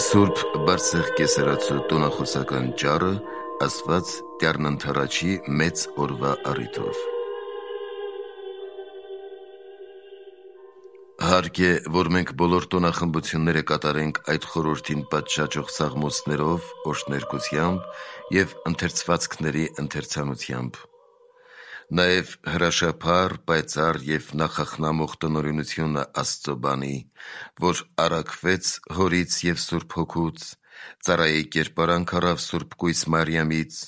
Սուրբ բարձր կեսարացու տոնախոսական ճառը ասված դեռնընթարաչի մեծ օրվա առիթով։ Հարկ է, որ մենք բոլոր տոնախմբությունները կատարենք այդ խորհրդին պատշաճող սաղմոսներով, օրհներգությամբ և ընթերցվածքների ընթերցանությամբ։ Նաև հրաշափառ, պայծառ և նախախնամող տնօրինությունը Աստծո բանի, որ առաքվեց Հորից և Սուրբ Հոգուց, ծառայի կերպարանք առավ Սուրբ Կույս Մարիամից,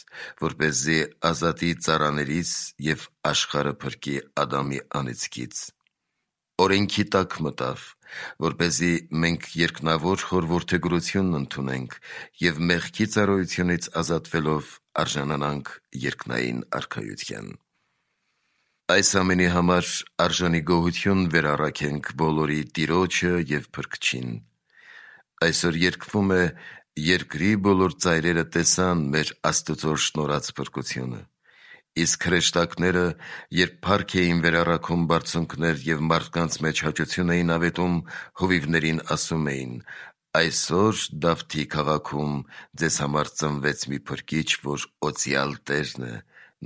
որպեսզի ազատի ծառաներից և աշխարհը փրկի Ադամի անեծքից։ Օրենքի տակ մտավ, որպեսզի մենք երկնավոր խոր որդեգրությունն ընդունենք և մեղքի ծառայությունից ազատվելով արժանանանք երկնային արքայության։ Այս ամենի համար արժանի գոհություն վերառաքենք բոլորի Տիրոջը և Փրկչին։ Այսօր երգվում է «Երկրի բոլոր ծայրերը տեսան մեր Աստծո շնորհած փրկությունը»։ Իսկ հրեշտակները, երբ փառք էին վերառաքում բարձունքներ և մարդկանց մեջ հաճություն էին ավետում, հովիվներին ասում էին. «Այսօր Դավթի քաղաքում ձեզ համար ծնվեց մի փրկիչ, որ օծյալ Տերն է.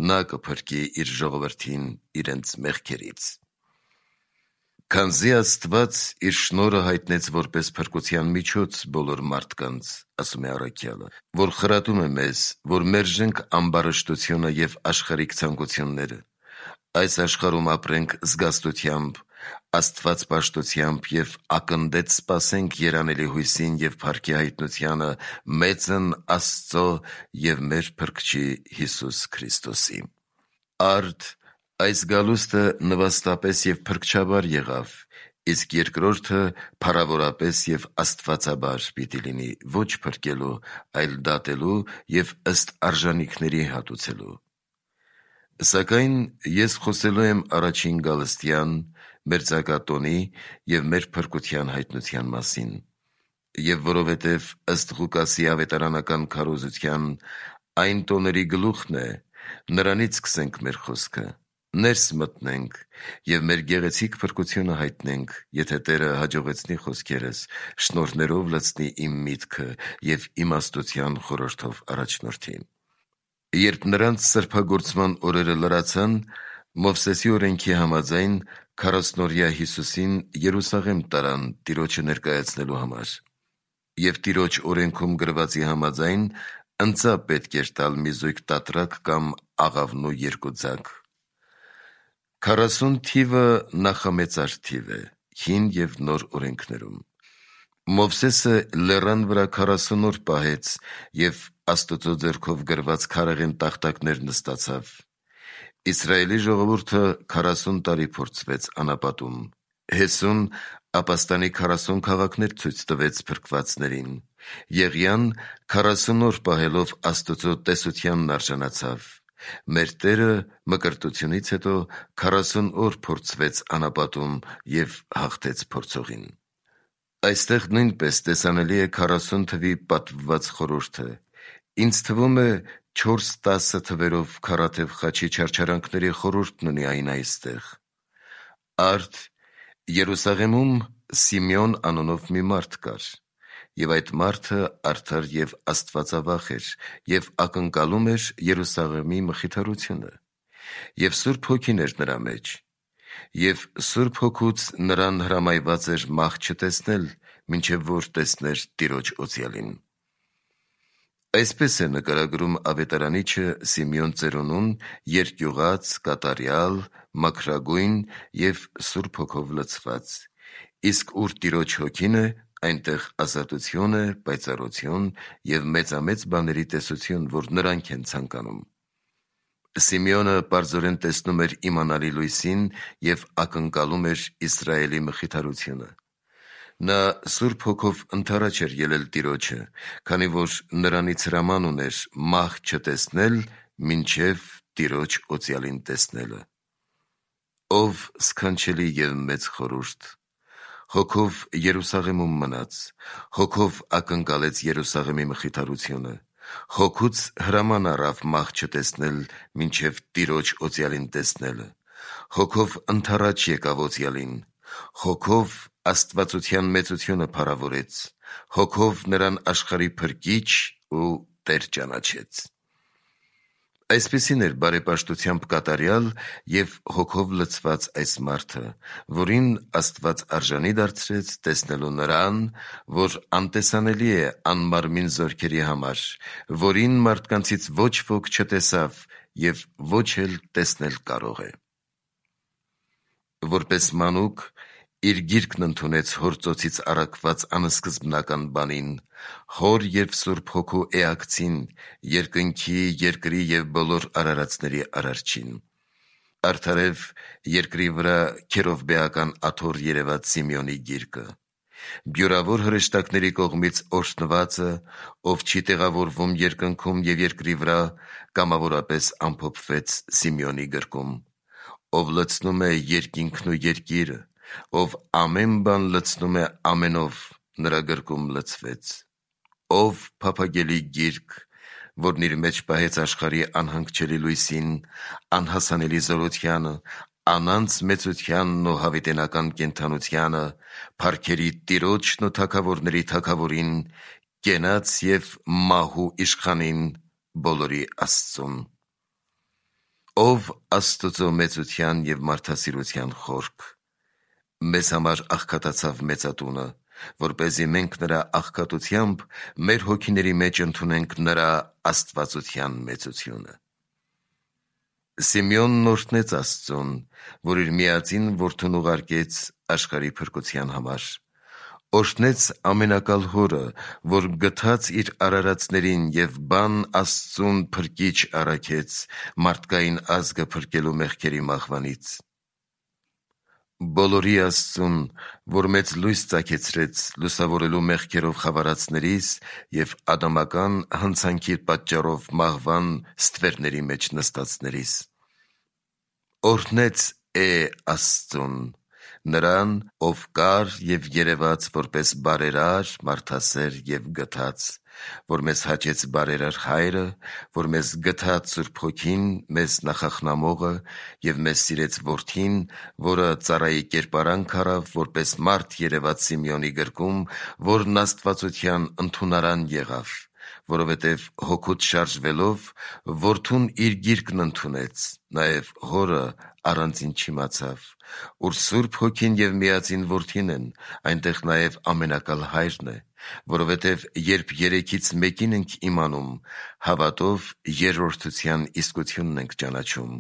նա կփրկի իր ժողովրդին իրենց մեղքերից»։ Քանզի Աստված իր շնորհը հայտնեց որպես փրկության միջոց բոլոր մարդկանց, ասում է առաքյալը, որ խրատում է մեզ, որ մերժենք ամբարշտությունը և աշխարհիկ ցանկությունները, այս աշխարհում ապրենք զգաստությամբ, աստվածպաշտությամբ և ակնդեց սպասենք երանելի հույսին և փառքի հայտնությանը մեծն Աստծո և մեր Փրկչի Հիսուս Քրիստոսի։ Արդ այս գալուստը նվաստապես և փրկչաբար եղավ, իսկ երկրորդը փառավորապես և աստվածաբար պիտի լինի, ոչ փրկելու, այլ դատելու և ըստ արժանիքների հատուցելու։ Սակայն ես խոսելու եմ առաջին գալստյան, մերձակա տոնի և մեր փրկության հայտնության մասին։ Եվ որովհետև ըստ Ղուկասի ավետարանական քարոզության այն տոների գլուխն է, նրանից սկսենք մեր խոսքը, ներս մտնենք և մեր գեղեցիկ փրկությունը հայտնենք, եթե Տերը հաջողեցնի խոսքերս, շնորհներով լցնի իմ միտքը և իմաստության խորհրդով առաջնորդի։ Երբ նրանց սրբագործման օրերը լրացան, Մովսեսի օրենքի համաձայն 40-օրյա Հիսուսին Երուսաղեմ տարան Տիրոջը ներկայացնելու համար։ Եվ Տիրոջ օրենքում գրվածի համաձայն ընծա պետք էր տալ մի զույգ տատրակ կամ աղավնու 2 ձագ։ 40 թիվը նախամեծար թիվ է Հին և Նոր օրենքներում։ Մովսեսը լեռան վրա 40 օր պահեց և Աստծո ձեռքով գրված քարեղեն տախտակներ նստացավ։ Իսրայելի ժողովուրդը 40 տարի փորձվեց անապատում։ Հեսուն ապաստանի 40 քաղաքներ ցույց տվեց փրկվածներին։ Եղիան 40 օր պահելով Աստծո տեսությանն արժանացավ։ Մեր Տերը մկրտությունից հետո 40 օր փորձվեց անապատում և հաղթեց փորձողին։ Այստեղ նույնպես տեսանելի է 40 թվի պատվված խորհուրդը։ Ինձ թվում է 4-10 թվերով Քառաթև խաչի չարչարանքների խորհուրդն ունի այն այստեղ։ Արդ Երուսաղեմում Սիմեոն անունով մի մարդ կար, և այդ մարդը արդար և աստվածավախ էր և ակնկալում էր Երուսաղեմի մխիթարությունը, և Սուրբ Հոգին էր նրա մեջ, և Սուրբ Հոգուց նրան հրամայված էր մահ չտեսնել, մինչև որ տեսներ Տիրոջ օծյալին։ Այսպես է նկարագրում ավետարանիչը Սիմեոն ծերունուն երկյուղած, կատարյալ, մաքրագույն և Սուրբ Հոգով լցված, իսկ ուր Տիրոջ Հոգին է, այնտեղ ազատություն է, պայծառություն և մեծամեծ բաների տեսություն, որ նրանք են ցանկանում։ Սիմեոնը պարզորեն տեսնում էր իմանալի լույսին և ակնկալում էր Իսրայելի մխիթարությունը։ Նա Սուրբ Հոգով ընդառաջ էր ելել Տիրոջը, քանի որ նրանից հրաման ուներ մահ չտեսնել, մինչև Տիրոջ օծյալին տեսնելը։ Ով սքանչելի և մեծ խորհուրդ։ Հոգով Երուսաղեմում մնաց, Հոգով ակնկալեց Երուսաղեմի մխիթարությունը, Հոգուց հրաման առավ մահ չտեսնել, մինչև Տիրոջ օծյալին տեսնելը, Հոգով ընդառաջ եկավ օծյալին, Հոգով աստվածության մեծությունը փառավորեց, հոգով նրան աշխարհի փրկիչ ու Տեր ճանաչեց։ Այսպիսին էր բարեպաշտությամբ կատարյալ և հոգով լցված այս մարդը, որին Աստված արժանի դարձրեց տեսնելու նրան, որ անտեսանելի է անմարմին զորքերի համար, որին մարդկանցից ոչ ոք չտեսավ և ոչ էլ տեսնել կարող է։ Որպես մանուկ իր գիրկն ընդունեց հոր ծոցից առաքված անսկզբնական բանին, հոր և Սուրբ Հոգու էակցին, երկնքի, երկրի և բոլոր արարածների արարչին։ Արդարև երկրի վրա քերովբեական աթոռ երևաց Սիմեոնի գիրկը։ Բյուրավոր հրեշտակների կողմից օրհնվածը, ով չի տեղավորվում երկնքում և երկրի վրա, կամավորապես ամփոփվեց Սիմեոնի գրկում, ով լցնում է երկինքն ու երկիրը, ով ամեն բան լցնում է ամենով, նրա գրկում լցվեց։ Ով փափագելի գիրք, որն իր մեջ պահեց աշխարհի անհանգչելի լույսին, անհասանելի զորությանը, անանց մեծությանն ու հավիտենական կենդանությանը, փառքերի Տիրոջն ու թագավորների Թագավորին, կենաց և մահու իշխանին, բոլորի Աստծուն։ Ով Աստուծո մեծության և մարդասիրության խորք, մեզ համար աղքատացավ մեծատունը, որպեսզի մենք նրա աղքատությամբ մեր հոգիների մեջ ընդունենք նրա աստվածության մեծությունը։ Սիմեոնն օրհնեց Աստծուն, որ իր միածին որդուն ուղարկեց աշխարհի փրկության համար։ Օրհնեց ամենակալ Հորը, որ գթած իր արարածներին և բան Աստծուն փրկիչ առաքեց մարդկային ազգը փրկելու մեղքերի մահվանից։ Բոլորի Աստծուն, որ մեծ լույս ծագեցրեց լուսավորելու մեղքերով խավարածներիս և ադամական հնցանքի պատճառով մահվան ստվերների մեջ նստածներիս։ Օրհնեց Աստծուն, նրան, ով կար և երևաց որպես բարերար, մարդասեր և գթած, որ մեզ հաճեց բարերար Հայրը, որ մեզ գթած Սուրբ Հոգին, մեզ նախախնամողը և մեզ սիրեց Որդին, որը ծառայի կերպարանք առավ, որպես մարդ երևաց Սիմեոնի գրկում, որն աստվածության ընդունարան եղավ, որովհետև հոգուց շարժվելով, Որդուն իր գիրկն ընդունեց, նաև Հորը առանձին չիմացավ, ուր Սուրբ Հոգին և միածին Որդին են, այնտեղ նաև ամենակալ Հայրն է, որովհետև երբ երեքից մեկին ենք իմանում, հավատով երրորդության իսկությունն ենք ճանաչում,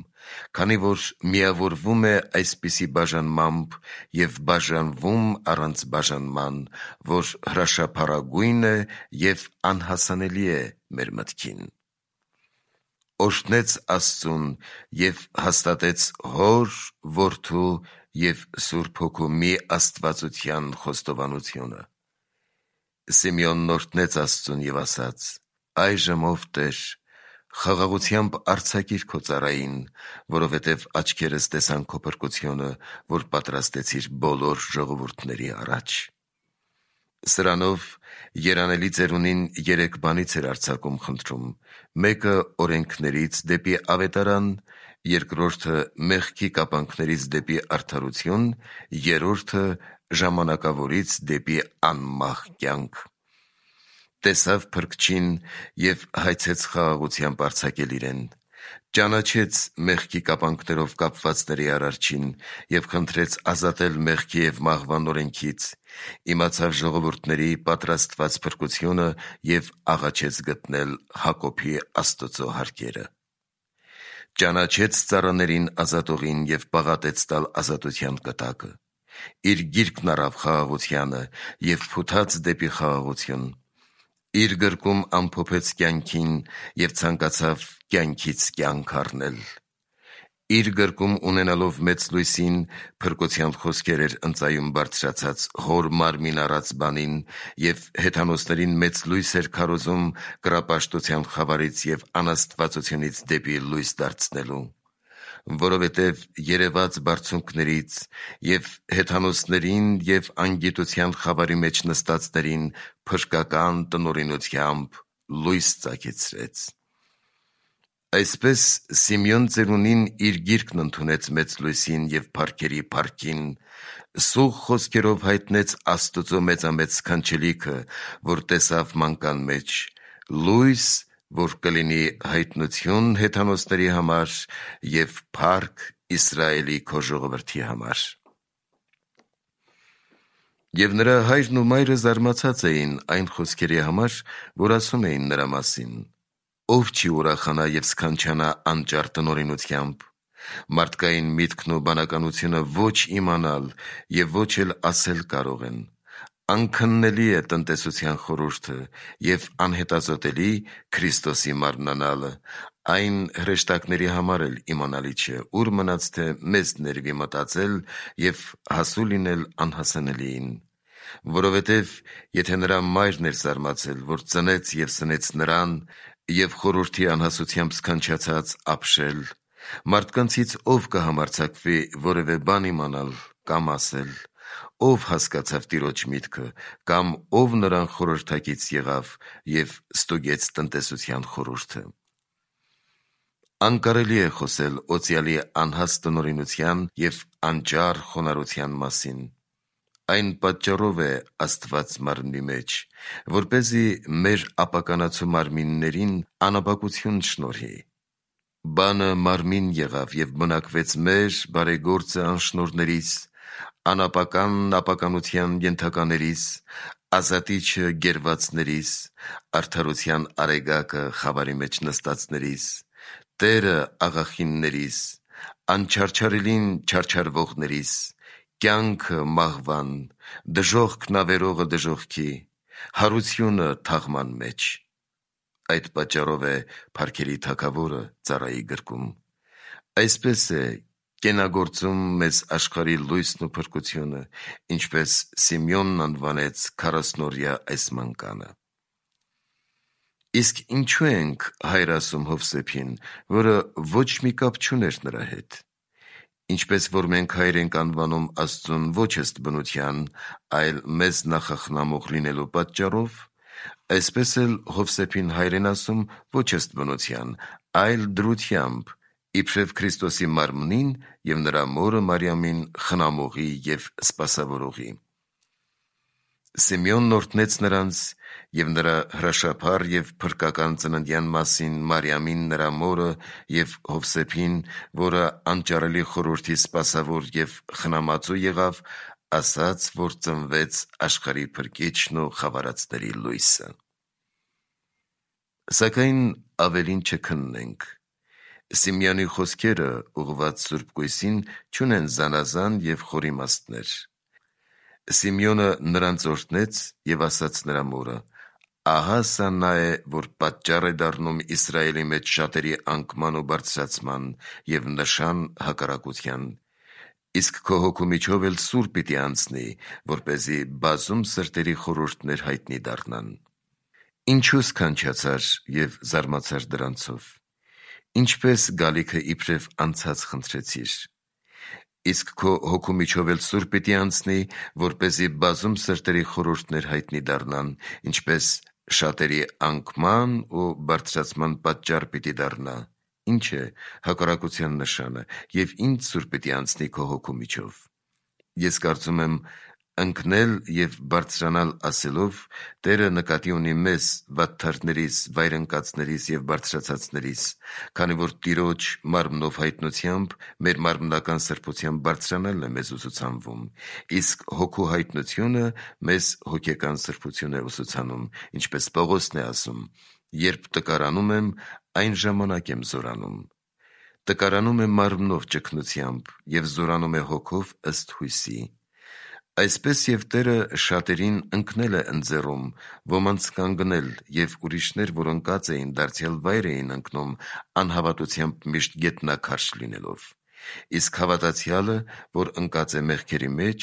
քանի որ միավորվում է այսպիսի բաժանմամբ և բաժանվում առանց բաժանման, որ հրաշափառագույն է և անհասանելի է մեր մտքին։ Օրհնեց Աստծուն և հաստատեց Հոր, Որդու և Սուրբ Հոգու մի աստվածության խոստովանությունը։ Սիմեոնն օրհնեց Աստծուն և ասաց. «Այժմ ով Տեր, խաղաղությամբ արձակիր քո ծառային, որովհետև աչքերս տեսան քո փրկությունը, որ պատրաստեցիր բոլոր ժողովուրդների առաջ»։ Սրանով երանելի ծերունին 3 բանից էր արձակում խնդրում. մեկը օրենքներից դեպի ավետարան, երկրորդը մեղքի կապանքներից դեպի արդարություն, երրորդը ժամանակավորից դեպի անմահ կյանք։ Տեսավ Փրկչին և հայցեց խաղաղությամբ արձակել իրեն։ Ճանաչեց մեղքի կապանքներով կապվածների արարչին և խնդրեց ազատել մեղքի և մահվան օրենքից, իմացավ ժողովուրդների պատրաստված փրկությունը և աղաչեց գտնել Հակոբի Աստծո հարկերը։ Ճանաչեց ծառաներին ազատողին և պաղատեց տալ ազատության կտակը։ Իր գիրկն առավ խաղաղությանը և փութաց դեպի խաղաղություն։ Իր գրկում ամփոփեց կյանքին և ցանկացավ կյանքից կյանք առնել։ Իր գրկում ունենալով մեծ լույսին, փրկության խոսքեր էր ընծայում բարձրացած Հոր մարմին առած բանին և հեթանոսներին մեծ լույս էր քարոզում կռապաշտության խավարից և անաստվածությունից դեպի լույս դարձնելու։ Որովհետև երևաց բարձունքներից և հեթանոսներին և անգիտության խավարի մեջ նստածներին փրկական տնօրինությամբ լույս ծագեցրեց։ Այսպես Սիմեոն ծերունին իր գիրկն ընդունեց մեծ լույսին և փառքերի փառքին, սուղ խոսքերով հայտնեց Աստուծո մեծամեծ սքանչելիքը, որ տեսավ մանկան մեջ, լույս, որ կլինի հայտնություն հեթանոսների համար և փառք Իսրայելի քո ժողովրդի համար։ Եվ նրա հայրն ու մայրը զարմացած էին այն խոսքերի համար, որ ասում էին նրա մասին. ով չի ուրախանա և սքանչանա անճար տնօրինությամբ։ Մարդկային միտքն ու բանականությունը ոչ իմանալ և ոչ էլ ասել կարող են։ Անքննելի է տնտեսության խորհուրդը և անհետազոտելի Քրիստոսի մարմնանալը, այն հրեշտակների համար էլ իմանալի չէ, ուր մնաց թե մեզ ներվի մտածել և հասու լինել անհասանելիին։ Որովհետև եթե նրա մայրն էր զարմացել, որ ծնեց և սնեց նրան և խորհրդի անհասությամբ սքանչացած ապշել, մարդկանցից ով կհամարձակվի որևէ բան իմանալ կամ ասել, ով հասկացավ Տիրոջ միտքը, կամ ով նրան խորհրդակից եղավ և ստուգեց տնտեսության խորհուրդը։ Անկարելի է խոսել օծյալի անհաստ տնօրինության և անճար խոնարհության մասին։ Այն պատճառով է Աստված մարմնի մեջ, որպեսզի մեր ապականացու մարմիններին անապակություն շնորհի։ Բանը մարմին եղավ և բնակվեց մեր բարեգործը անշնորհներից, անապականն ապականության ենթականերիս, ազատիչը գերվածներիս, արդարության արեգակը խավարի մեջ նստածներիս, Տերը աղախիններիս, անչարչարելին չարչարվողներիս, կյանքը մահվան, դժոխքն ավերողը դժոխքի, հարությունը թաղման մեջ։ Այդ պատճառով է Փառքերի Թագավորը ծառայի գրկում. այսպես է կենագործում մեզ աշխարհի լույսն ու փրկությունը, ինչպես Սիմեոնն անվանեց 40-օրյա այս մանկանը։ Իսկ ինչու ենք հայր ասում Հովսեփին, որը ոչ մի կապ չուներ նրա հետ։ Ինչպես որ մենք հայր ենք անվանում Աստծուն ոչ ըստ բնության, այլ մեզ նախախնամող լինելու պատճառով, այսպես էլ Հովսեփին հայր են ասում ոչ ըստ բնության, այլ դրությամբ, իբրև Քրիստոսի մարմնին և նրա մորը Մարիամին խնամողի և սպասավորողի։ Սիմեոնն օրհնեց նրանց և նրա հրաշափառ և փրկական ծննդյան մասին Մարիամին նրա մորը և Հովսեփին, որը անճարելի խորհրդի սպասավոր և խնամածու եղավ, ասաց, որ ծնվեց աշխարհի փրկիչն ու խավարածների լույսը։ Սակայն ավելին չքննենք։ Սիմեոնի խոսքերը ուղղված Սուրբ Կույսին չունեն զանազան և խոր իմաստներ։ Սիմեոնը նրանց օրհնեց և ասաց նրա մորը. ահա սա նա է, որ պատճառ է դառնում Իսրայելի մեջ շատերի անկման ու բարձրացման և նշան հակառակության, իսկ քո հոգու միջով էլ սուր պիտի անցնի, որպեսզի բազում սրտերի խորհուրդներ հայտնի դառնան։ Ինչու սքանչացար և զարմացար դրանցով։ Ինչպես գալիքը իբրև անցած խնդրեցիր։ Իսկ քո հոգու միջով էլ սուր պիտի անցնի, որպեսզի բազում սրտերի խորհուրդներ հայտնի դառնան, ինչպես շատերի անկման ու բարձրացման պատճառ պիտի դառնա, ինչ է հակառակության նշանը, և ինչ սուր պիտի անցնի քո հոգու միջով։ Ես կարծում եմ, ընկնել և բարձրանալ ասելով, Տերը նկատի ունի մեզ, վատթարներից, վայրընկածներից և բարձրացածներից, քանի որ Տիրոջ մարմնով հայտնությամբ մեր մարմնական սրբությամբ բարձրանալն է մեզ ուսուցանվում, իսկ հոգու հայտնությունը մեզ հոգեկան սրբություն է ուսուցանում, ինչպես Պողոսն է ասում. երբ տկարանում եմ, այն ժամանակ եմ զորանում։ Տկարանում է մարմնով ճգնությամբ և զորանում է հոգով ըստ հույսի։ Այսպես և Տերը շատերին ընկնել է ընձեռում, ոմանց կանգնել, և ուրիշներ, որ ընկած էին, դարձյալ վայր էին ընկնում անհավատությամբ միշտ գետնաքարշ լինելով։ Իսկ հավատացյալը, որ ընկած է մեղքերի մեջ,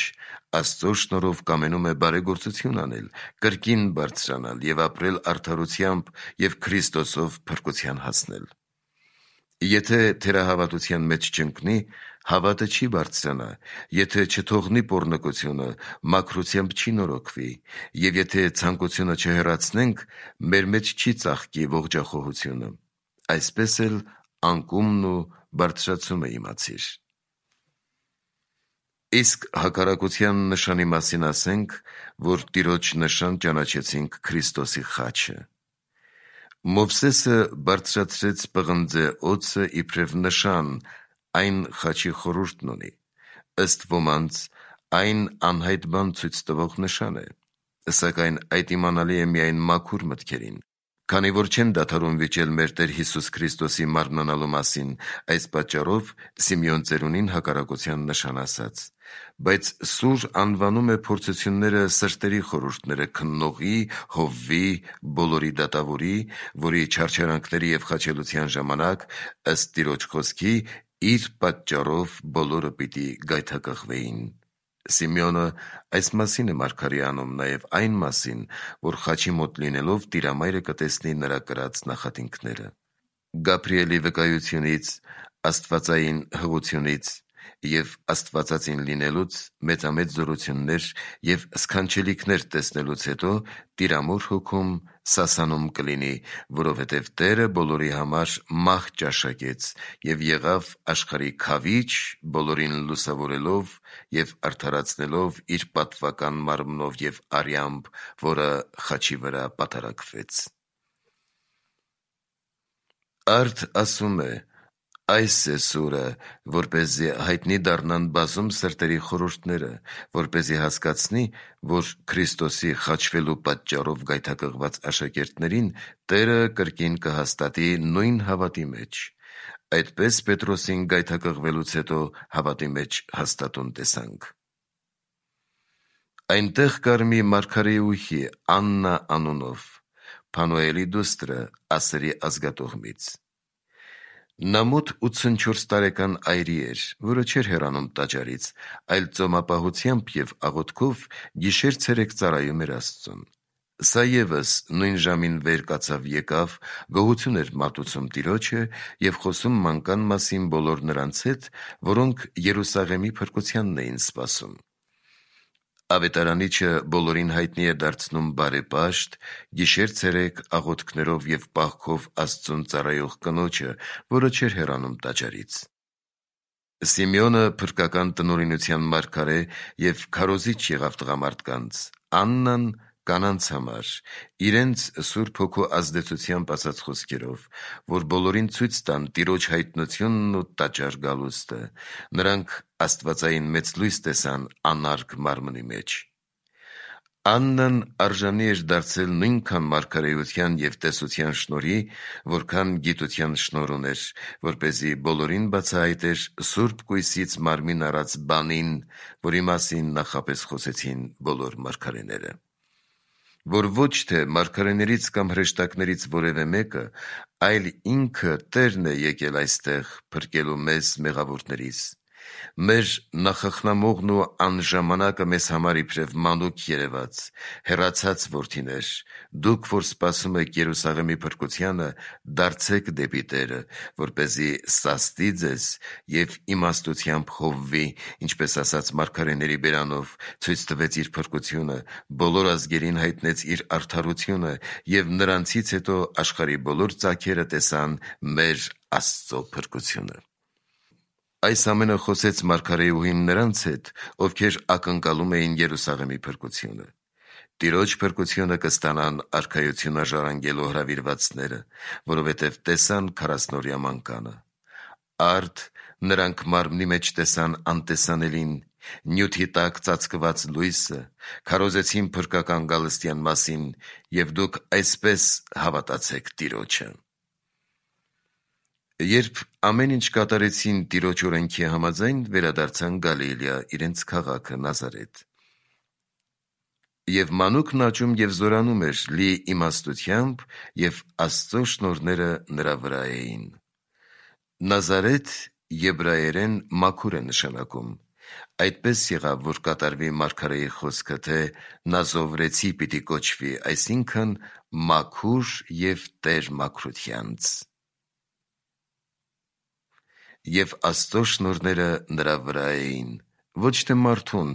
Աստծո շնորհով կամենում է բարեգործություն անել, կրկին բարձրանալ և ապրել արդարությամբ և Քրիստոսով փրկության հասնել։ Եթե թերահավատության մեջ չընկնի, հավատը չի բարձրանա, եթե չթողնի պոռնկությունը, մաքրությամբ չի նորոգվի, և եթե ցանկությունը չհեռացնենք, մեր մեջ չի ծաղկի ողջախոհությունը։ Այսպես էլ անկումն ու բարձրացումը իմացիր։ Իսկ հակառակության նշանի մասին ասենք, որ Տիրոջ նշան ճանաչեցինք Քրիստոսի խաչը։ Մովսեսը բարձրացրեց պղնձե օձը իբրև նշան, այն խաչի խորհուրդն ունի, ըստ ոմանց այն անհայտ բան ցույց տվող նշան է, սակայն այդ իմանալի է միայն մաքուր մտքերին, քանի որ չեն դադարում վիճել մեր Տեր Հիսուս Քրիստոսի մարմնանալու մասին, այս պատճառով Սիմեոն ծերունին հակառակության նշան ասաց, բայց սուր անվանում է փորձությունները սրտերի խորհուրդները քննողի, Հովվի, բոլորի դատավորի, որի չարչարանքների և խաչելության ժամանակ, ըստ Տիրոջ խոսքի, իր պատճառով բոլորը պիտի գայթակղվեին։ Սիմեոնը այս մասին է մարգարե անում նաև այն մասին, որ խաչի մոտ լինելով Տիրամայրը կտեսնի նրա կրած նախատինքները։ Գաբրիելի վկայությունից, աստվածային հղությունից և աստվածածին լինելուց, մեծամեծ զորություններ և սքանչելիքներ տեսնելուց հետո Տիրամոր հոգում սասանում կլինի, որովհետև Տերը բոլորի համար մահ ճաշակեց և եղավ աշխարհի քավիչ, բոլորին լուսավորելով և արդարացնելով իր պատվական մարմնով և արյամբ, որը խաչի վրա պատարակվեց։ Արդ ասում է. այս է սուրը, որպեսզի հայտնի դառնան բազում սրտերի խորհուրդները, որպեսզի հասկացնի, որ Քրիստոսի խաչվելու պատճառով գայթակղված աշակերտներին Տերը կրկին կհաստատի նույն հավատի մեջ։ Այդպես Պետրոսին գայթակղվելուց հետո հավատի մեջ հաստատուն տեսանք։ Այնտեղ կար մի մարգարեուհի Աննա անունով, Փանուելի դուստրը Ասերի ազգատոհմից։ Նա մոտ 84 տարեկան այրի էր, որը չէր հեռանում տաճարից, այլ ծոմապահությամբ և աղոթքով գիշեր-ցերեկ ծառայում էր Աստծուն։ Սա ևս նույն ժամին վեր կացավ եկավ, գոհություն էր մատուցում Տիրոջը և խոսում մանկան մասին բոլոր նրանց հետ, որոնք Երուսաղեմի փրկությանն էին սպասում։ Ավետարանիչը բոլորին հայտնի է դարձնում բարեպաշտ, գիշեր-ցերեկ աղոթքներով և պահքով Աստծուն ծառայող կնոջը, որը չէր հեռանում տաճարից։ Սիմեոնը փրկական տնօրինության մարգարե և քարոզիչ եղավ տղամարդկանց, Աննան կանանց համար, իրենց Սուրբ Հոգու ազդեցությամբ ասաց խոսքերով, որ բոլորին ցույց տան Տիրոջ հայտնությունն ու տաճար գալուստը, նրանք աստվածային մեծ լույս տեսան անարգ մարմնի մեջ։ Աննան արժանի էր դարձել նույնքան մարգարեության և տեսության շնորհի, որքան գիտության շնորհ ուներ, որպեսզի բոլորին բացահայտեր Սուրբ Կույսից մարմին առած բանին, որի մասին նախապես խոսեցին բոլոր մարգարեները։ Որ ոչ թե մարգարեներից կամ հրեշտակներից որևէ մեկը, այլ ինքը Տերն է եկել այստեղ փրկելու մեզ մեղավորներից։ Մեր նախախնամողն ու անժամանակը մեզ համար իբրև մանուկ երևաց, հեռացած որդիներ, դուք, որ սպասում եք Երուսաղեմի փրկությանը, դարձեք դեպի Տերը, որպեսզի սաստի ձեզ և իմաստությամբ հովվի, ինչպես ասաց մարգարեների բերանով, ցույց տվեց իր փրկությունը, բոլոր ազգերին հայտնեց իր արդարությունը և նրանցից հետո աշխարհի բոլոր ծագերը տեսան մեր Աստծո փրկությունը։ Այս ամենը խոսեց մարգարեուհին նրանց հետ, ովքեր ակնկալում էին Երուսաղեմի փրկությունը։ Տիրոջ փրկությունը կստանան արքայությունը ժառանգելու հրավիրվածները, որովհետև տեսան 40-օրյա մանկանը։ Արդ նրանք մարմնի մեջ տեսան անտեսանելին, նյութի տակ ծածկված լույսը, քարոզեցին փրկական գալստյան մասին, և դուք այսպես հավատացեք Տիրոջը։ Երբ ամեն ինչ կատարեցին Տիրոջ օրենքի համաձայն, վերադարձան Գալիլեա, իրենց քաղաքը Նազարեթ։ Եվ մանուկն աճում և զորանում էր լի իմաստությամբ, և Աստծո շնորհները նրա վրա էին։ Նազարեթ եբրայերեն մաքուր է նշանակում։ Այդպես եղավ, որ կատարվի մարգարեի խոսքը, թե Նազովրեցի պիտի կոչվի, այսինքն մաքուր և Տեր մաքրությանց։ Եվ Աստծո շնորհները նրա վրա էին, ոչ թե մարդուն,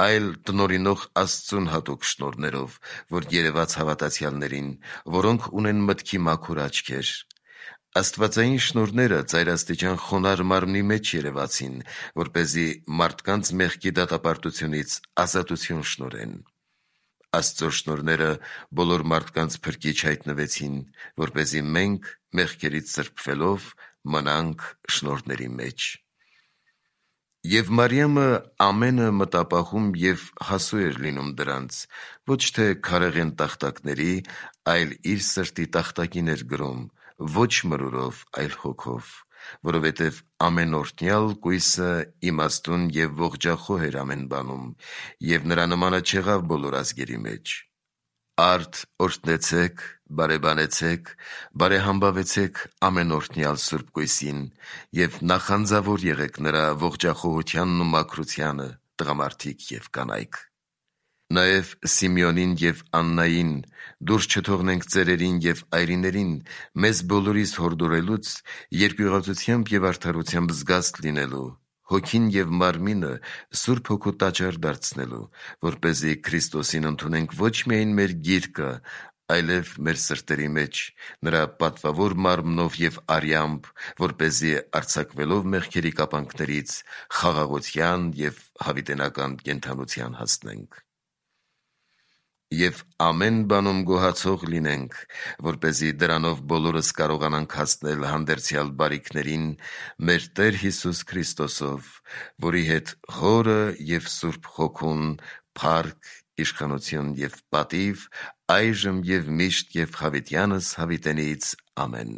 այլ տնօրինող Աստծուն հատուկ շնորհներով, որ երևաց հավատացյալներին, որոնք ունեն մտքի մաքուր աչքեր։ Աստվածային շնորհները ծայրաստիճան խոնարհ մարմնի մեջ երևացին, որպեսզի մարդկանց մեղքի դատապարտությունից ազատություն շնորհեն։ Աստծո շնորհները բոլոր մարդկանց փրկիչ հայտնվեցին, որպեսզի մենք մեղքերից սրբվելով մնանք շնորհների մեջ։ Եվ Մարիամը ամենը մտապահում և հասու էր լինում դրանց, ոչ թե քարեղեն տախտակների, այլ իր սրտի տախտակին էր գրում, ոչ մրուրով, այլ հոգով, որովհետև ամենօրհնյալ կույսը իմաստուն և ողջախոհ էր ամեն բանում, և նրա նմանը չեղավ բոլոր ազգերի մեջ։ Արդ օրհնեցեք, բարեբանեցեք, բարեհամբավեցեք ամենօրհնյալ Սուրբ Կույսին և նախանձավոր եղեք նրա ողջախոհությանն ու մաքրությանը, տղամարդիկ և կանայք։ Նաև Սիմեոնին և Աննային դուրս չթողնենք ծերերին և այրիներին, մեզ բոլորիս հորդորելուց, երկյուղածությամբ և արդարությամբ զգաստ լինելու, հոգին և մարմինը Սուրբ Հոգու տաճար դարձնելու, որպեսզի Քրիստոսին ընդունենք ոչ միայն մեր գիրկը, այլև մեր սրտերի մեջ, նրա պատվավոր մարմնով և արյամբ, որպեսզի արձակվելով մեղքերի կապանքներից խաղաղության և հավիտենական կենդանության հասնենք։ Եվ ամեն բանում գոհացող լինենք, որպեսզի դրանով բոլորս կարողանանք հասնել հանդերձյալ բարիքներին մեր Տեր Հիսուս Քրիստոսով, որի հետ Հորը և Սուրբ Հոգուն փառք, իշխանություն և պատիվ այժմ և միշտ և հավիտյանս հավիտենից ամեն։